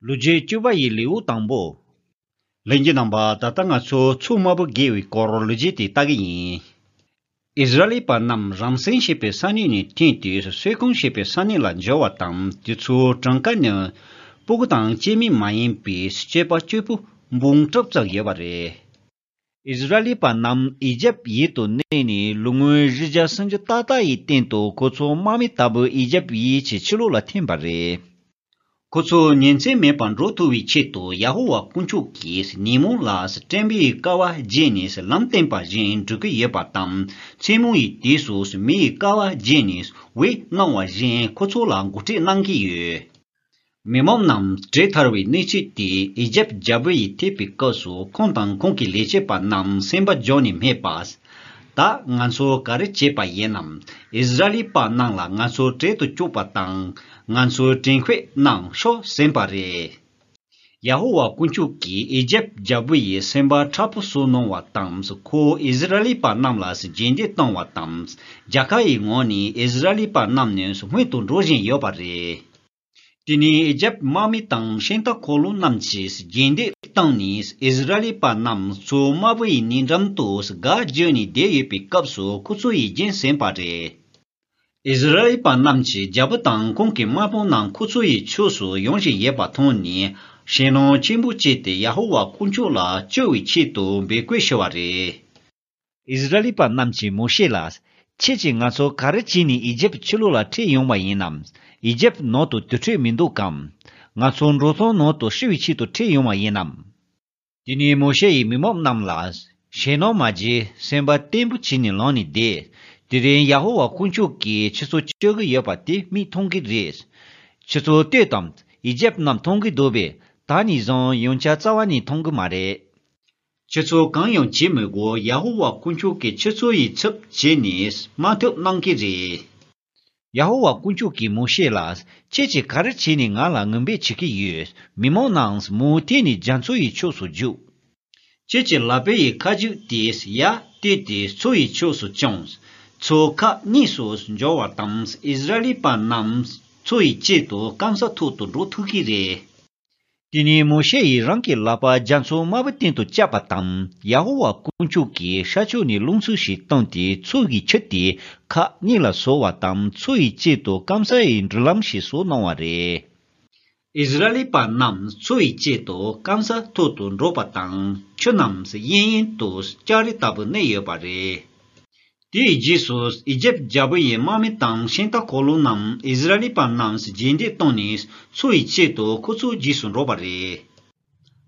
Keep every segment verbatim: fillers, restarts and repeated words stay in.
ལོ་རྒྱུས་བཅུ་པ་ཡི་ལེའུ་དང་པོ། ལྷན་རྒྱས་རྣམ་པ། ད་ལྟ་ང་ཚོ་མཚོ་དམར་པོ་བརྒལ་བའི་སྐོར་ལོ་རྒྱུས་དེ་ལྟ་གི་ཡིན། ཨིསི་ར་ཨེལ་པ་རྣམས་རམ་སེ་ཞེས་པའི་ས་གནས་ནས་ཐོན་ཏེ་སོད་ཀོང་ཞེས་པའི་ས་གནས་ལ་འབྱོར་བ་དང་། དེ་ཚོའི་གྲངས་ཀ་ནི་སྤུ་གུ་དང་སྐྱེས་དམན་མ་ཡིན་པའི་སྐྱེས་པ་གཅིག་པུ་འབུམ་དྲུག་ཙམ་ཡོད་པ་རེད། ཨིསི་ར་ཨེལ་པ་རྣམས་ཨི་ཇེབ་ཡུལ་དུ་གནས་ནས་ལོ་ངོ་བཞི་བརྒྱ་སུམ་ཅུ་ཏག་ཏག་ཡི་སྟེང་དུ་ཁོ་ཚོ་དམག་མི་ལྟ་བུ་ཨི་ཇེབ་ཡུལ་གྱི་ཕྱི་ལོགས་ལ་ཐོན་པ་རེད། ཁོ་ཚོ་ཉིན་མཚན་མེད་པར་འགྲོ་ཐུབ་པའི་ཆེད་དུ་ཡ་ཧོ་ཝཱ་དཀོན་མཆོག་གིས་ཉིན་མོ་ལ་སྤྲིན་པའི་ཀ་བ་བརྒྱུད་ནས་ལམ་བསྟན་པ་བཞིན་འགྲོ་གི་ཡོད་པ་དང་། མཚན་མོ་ཡི་དུས་སུ་མེའི་ཀ་བ་བརྒྱུད་ནས་འོད་སྣང་བ་བཞིན་ཁོ་ཚོ་ལ་འགོ་ཁྲིད་གནང་གི་ཡོད། མི་མང་རྣམས་བྲེལ་ཐར་བའི་གནས་ཚུལ་དེ་ཨི་ཇེབ་རྒྱལ་པོ་ཡིས་ཐོས་པའི་སྐབས་སུ། ཁོང་དང་ཁོང་གི་ལས་བྱེད་པ་རྣམས་སེམས་པ་འགྱོད་ནས་སྨྲས་པ། ད་ང་ཚོ་ག་རེ་བྱས་པ་ཡིན་ནམ། ཨིསི་ར་ཨེལ་པ་རྣམས་ལ་ང་ཚོ་བྲེལ་དུ་བཅུག་པ་དང་། ང་ཚོའི་དྲན་ཤེས་གནང་ཤོག་ཟེར་བ་རེད། ཡ་ཧོ་ཝཱ་དཀོན་མཆོག་གིས་ཨི་ཇེབ་རྒྱལ་པོ་ཡི་སེམས་པ་མཁྲེགས་པོ་བཟོ་གནང་བ་དང་། ཁོས་ཨིསི་ར་ཨེལ་པ་རྣམས་ལ་རྗེས་འདེད་བཏང་བ་དང་། རྒྱལ་ཁ་ཡི་ངང་ནས་ཨིསི་ར་ཨེལ་པ་རྣམས་ནི་སྔོན་དུ་འགྲོ་བཞིན་ཡོད་པ་རེད། དེ་ནས་ཨི་ཇེབ་དམག་མི་དང་ཤིང་རྟ་འཁོར་ལོ་རྣམས་ཀྱིས་རྗེས་འདེད་བཏང་ནས། ཨིསི་ར་ཨེལ་པ་རྣམས་མཚོ་དམར་པོ་ཡི་ནུས་འགྲམ་དུ་སྒར་བརྒྱུད་ནས་བསྡད་ཡོད་པའི་སྐབས་སུ་ཁོ་ཚོ་ཡིས་རྒྱུན་ཟིན་པ་རེད། ཨིསི་ར་ཨེལ་པ་རྣམས་ཀྱི་རྒྱལ་པོ་དང་ཁོང་གི་དམག་དཔོན་རྣམས་ཁོ་ཚོ་ཡི་ཕྱོགས་སུ་ཡོང་བཞིན་ཡོད་པ་མཐོང་ནས། ཞེད་སྣང་ཆེན་པོ་སྐྱེས་ཏེ་ཡ་ཧོ་ཝཱ་དཀོན་མཆོག་ལ་སྐྱོབ་པའི་ཆེད་དུ་འབོད་སྐུལ་ཞུ་བ་རེད། ཨིསི་ར་ཨེལ་པ་རྣམས་ཀྱིས་མོ་ཤེ་ལ། ཁྱེད་ཀྱིས་ང་ཚོ་ག་རེ་བྱས་ནས་ཨི་ཇེབ་ཕྱི་ལོགས་ལ་ཁྲིད་ཡོང་བ་ཡིན་ནམ། ཨི་ཇེབ་ནང་དུ་དུར་ཁྲོད་མི་འདུག་གམ། ང་ཚོ་འབྲོག་ཐང་ནང་དུ་ཤི་བའི་ཆེད་དུ་ཁྲིད་ཡོང་བ་ཡིན་ནམ། དེ་ནས་མོ་ཤེ་ཡིས་མི་མང་རྣམས་ལ། ཞེད་སྣང་མ་བྱེད། སེམས་པ་བརྟན་པོ་བྱས་ནས་ལངས་ནས་བསྡད། དེ་རིང་ཡ་ཧོ་ཝཱ་དཀོན་མཆོག་གིས་ཁྱེད་ཚོ་སྐྱོབ་ཀྱི་ཡོད་པ་དེ་མིག་མཐོང་གི་རེད། ཁྱེད་ཚོ་ལྟོས་དང་། ཨི་ཇེབ་རྣམས་མཐོང་གི་འདུག་པས། ད་ནས་བཟུང་ཡང་བསྐྱར་རྩ་བ་ནས་མཐོང་གི་མ་རེད། ཁྱེད་ཚོ་གང་ཡང་བྱེད་མི་དགོས། ཡ་ཧོ་ཝཱ་དཀོན་མཆོག་གིས་ཁྱེད་ཚོ་ཡི་ཚབ་བྱས་ནས་དམག་འཐབ་གནང་གི་རེད། ཡ་ཧོ་ཝཱ་དཀོན་མཆོག་གིས་མོ་ཤེ་ལ། ཁྱེད་ཀྱིས་ག་རེ་བྱས་ནས་ང་ལ་ངན་སྤེལ་བྱེད་ཀྱི་ཡོད། མི་མང་རྣམས་མུ་མཐུད་ནས་རྒྱ་མཚོ་ཡི་ཕྱོགས་སུ་རྒྱུགས། ཁྱེད་ཀྱི་ལག་པའི་ཡི་ཁ་རྒྱུག་དེས་ཡར་བཏེགས་ཏེ་མཚོ་ཡི་ཕྱོགས་སུ་བརྐྱངས། མཚོ་ཁག་གཉིས་སུ་འབྱོར་བ་དང་། ཨིསི་ར་ཨེལ་པ་རྣམས་མཚོ་ཡི་དཀྱིལ་དུ་སྐམ་ས་ཐོག་ཏུ་འགྲོ་ཐུབ་ཀྱི་རེད། དེ་ནས་མོ་ཤེ་ཡིས་རང་གི་ལག་པ་རྒྱ་མཚོ་དམར་པོའི་སྟེང་དུ་བཀྱགས་པ་དང་། ཡ་ཧོ་ཝཱ་དཀོན་མཆོག་གིས་ཤར་ཕྱོགས་ནས་རླུང་འཚུབ་ཞིག་བཏང་སྟེ། མཚོ་ཡི་ཆུ་དེ་ཁག་གཉིས་ལ་བཟོས་པ་དང་། མཚོ་ཡི་དཀྱིལ་དུ་སྐམ་ས་ཡི་འགྲུལ་ལམ་ཞིག་བཟོས་གནང་བ་རེད། ཨིསི་ར་ཨེལ་པ་རྣམས་མཚོ་ཡི་དཀྱིལ་དུ་སྐམ་ས་ཐོག་ཏུ་འགྲོ་བ་དང་། ཆུ་རྣམས་གཡས་གཡོན་དུ་ལྕགས་རི་ལྟ་བུ་གནས་ཡོད་པ་རེད། དེའི་རྗེས་སུ་ཨི་ཇེབ་རྒྱལ་པོ་ཡི་དམག་མི་དང་ཤིང་རྟ་འཁོར་ལོ་རྣམས་ཨིསི་ར་ཨེལ་པ་རྣམས་རྗེས་འདེད་བཏང་ནས་མཚོ་ཡི་དཀྱིལ་དུ་ཁོ་ཚོའི་རྗེས་སུ་འགྲོ་བ་རེད།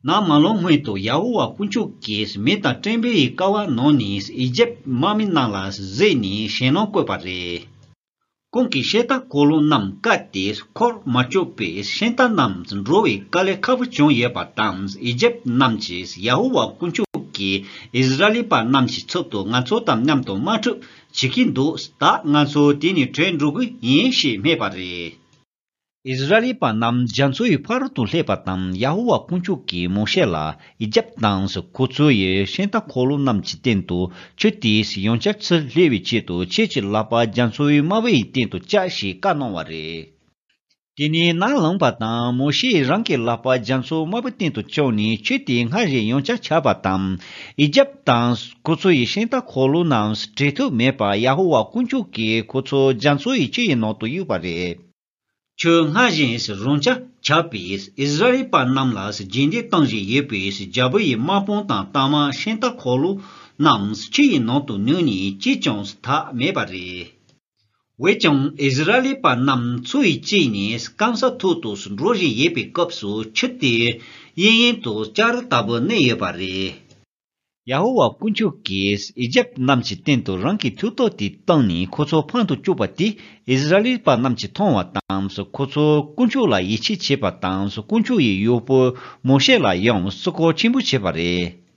ནམ་མ་ལངས་སྔོན་དུ་ཡ་ཧོ་ཝཱ་དཀོན་མཆོག་གིས་མེ་དང་སྤྲིན་པའི་ཀ་བ་ནང་ནས་ཨི་ཇེབ་དམག་མི་རྣམས་ལ་གཟིགས་ནས་ཞེད་སྣང་བཀོད་པ་རེད། ཁོང་གིས་ཤིང་རྟ་འཁོར་ལོ་རྣམས་བཀག་སྟེ་འཁོར་མ་བཅུག་པས། ཤིང་རྟ་རྣམས་འགྲོ་བའི་དཀའ་ལས་ཁག་པོ་བྱུང་ཡོད་པ་དང་། ཨི་ཇེབ་རྣམས་ཀྱིས་ཡ་ཧོ་ཝཱ་དཀོན་མཆོག་གིས་ཨིསི་ར་ཨེལ་པ་རྣམས་ཀྱི་ཚབ་ཏུ་ང་ཚོ་དང་མཉམ་དུ་དམག་འཁྲུག་བྱེད་ཀྱི་འདུག་ད་ང་ཚོ་དེ་ནས་བྲོས་འགྲོ་གི་ཡིན་ཞེས་སྨྲས་པ་རེད། ཨིསི་ར་ཨེལ་པ་རྣམས་རྒྱ་མཚོ་ཡི་ཕ་རོལ་ཏུ་སླེབས་པ་དང་། ཡ་ཧོ་ཝཱ་དཀོན་མཆོག་གིས་མོ་ཤེ་ལ། ཨི་ཇེབ་དང་ཁོ་ཚོ་ཡི་ཤིང་རྟ་འཁོར་ལོ་རྣམས་ཀྱི་སྟེང་དུ་ཆུ་དེས་ཡང་བསྐྱར་ཚུར་སླེབས་པའི་ཆེད་དུ། ཁྱེད་ཀྱི་ལག་པ་རྒྱ་མཚོ་ཡི་དམར་པོ་ཡི་སྟེང་དུ་བཀྱགས་ཞེས་བཀའ་གནང་བ་རེད། དེ་ནས་ནམ་ལངས་པ་དང་། མོ་ཤེས་རང་གི་ལག་པ་རྒྱ་མཚོ་དམར་པོའི་སྟེང་དུ་བཀྱགས་ནས། ཆུ་དེ་སྔར་བཞིན་ཡང་བསྐྱར་ཆགས་པ་དང་། ཨི་ཇེབ་དང་ཁོ་ཚོ་ཡི་ཤིང་རྟ་འཁོར་ལོ་རྣམས་བྲོས་ཐུབ་མེད་པར། ཡ་ཧོ་ཝཱ་དཀོན་མཆོག་གིས་ཁོ་ཚོ་རྒྱ་མཚོ་ཡི་ཆུ་ཡི་ནང་དུ་གཡུགས་པ་རེད། ཆུ་སྔར་བཞིན་རང་འཇགས་ཆགས་པས། ཨིསི་ར་ཨེལ་པ་རྣམས་ལ་རྗེས་འདེད་གཏོང་བཞིན་ཡོད་པའི་རྒྱལ་པོ་ཡི་དམག་དཔུང་དང་། རྟ་དམག་ཤིང་རྟ་འཁོར་ལོ་རྣམས་ཆུ་ཡི་ནང་དུ་ནུབ་ནས་གཅིག་ཀྱང་ཐར་མེད་པ་རེད། འོན་ཀྱང་ཨིསི་ར་ཨེལ་པ་རྣམས་མཚོ་ཡི་དཀྱིལ་ནས་སྐམ་ས་ཐོག་ཏུ་འགྲོ་བཞིན་ཡོད་པའི་སྐབས་སུ། ཆུ་དེ་གཡས་གཡོན་དུ་ལྕགས་རི་ལྟ་བུ་གནས་ཡོད་པ་རེད། ཡ་ཧོ་ཝཱ་དཀོན་མཆོག་གིས་ཨི་ཇེབ་རྣམས་ཀྱི་སྟེང་དུ་རང་གི་མཐུ་སྟོབས་དེ་བཏང་ནས་ཁོ་ཚོ་ཕམ་དུ་བཅུག་པ་དེ་ཨིསི་ར་ཨེལ་པ་རྣམས་ཀྱིས་མཐོང་བ་དང་། ཁོ་ཚོས་དཀོན་མཆོག་ལ་ཡིད་ཆེས་བྱས་པ་དང་། དཀོན་མཆོག་ཡི་གཡོག་པོ་མོ་ཤེ་ལ་ཡང་བསྐྱར་བཀའ་ཆེན་པོ་བྱས་པ་རེད།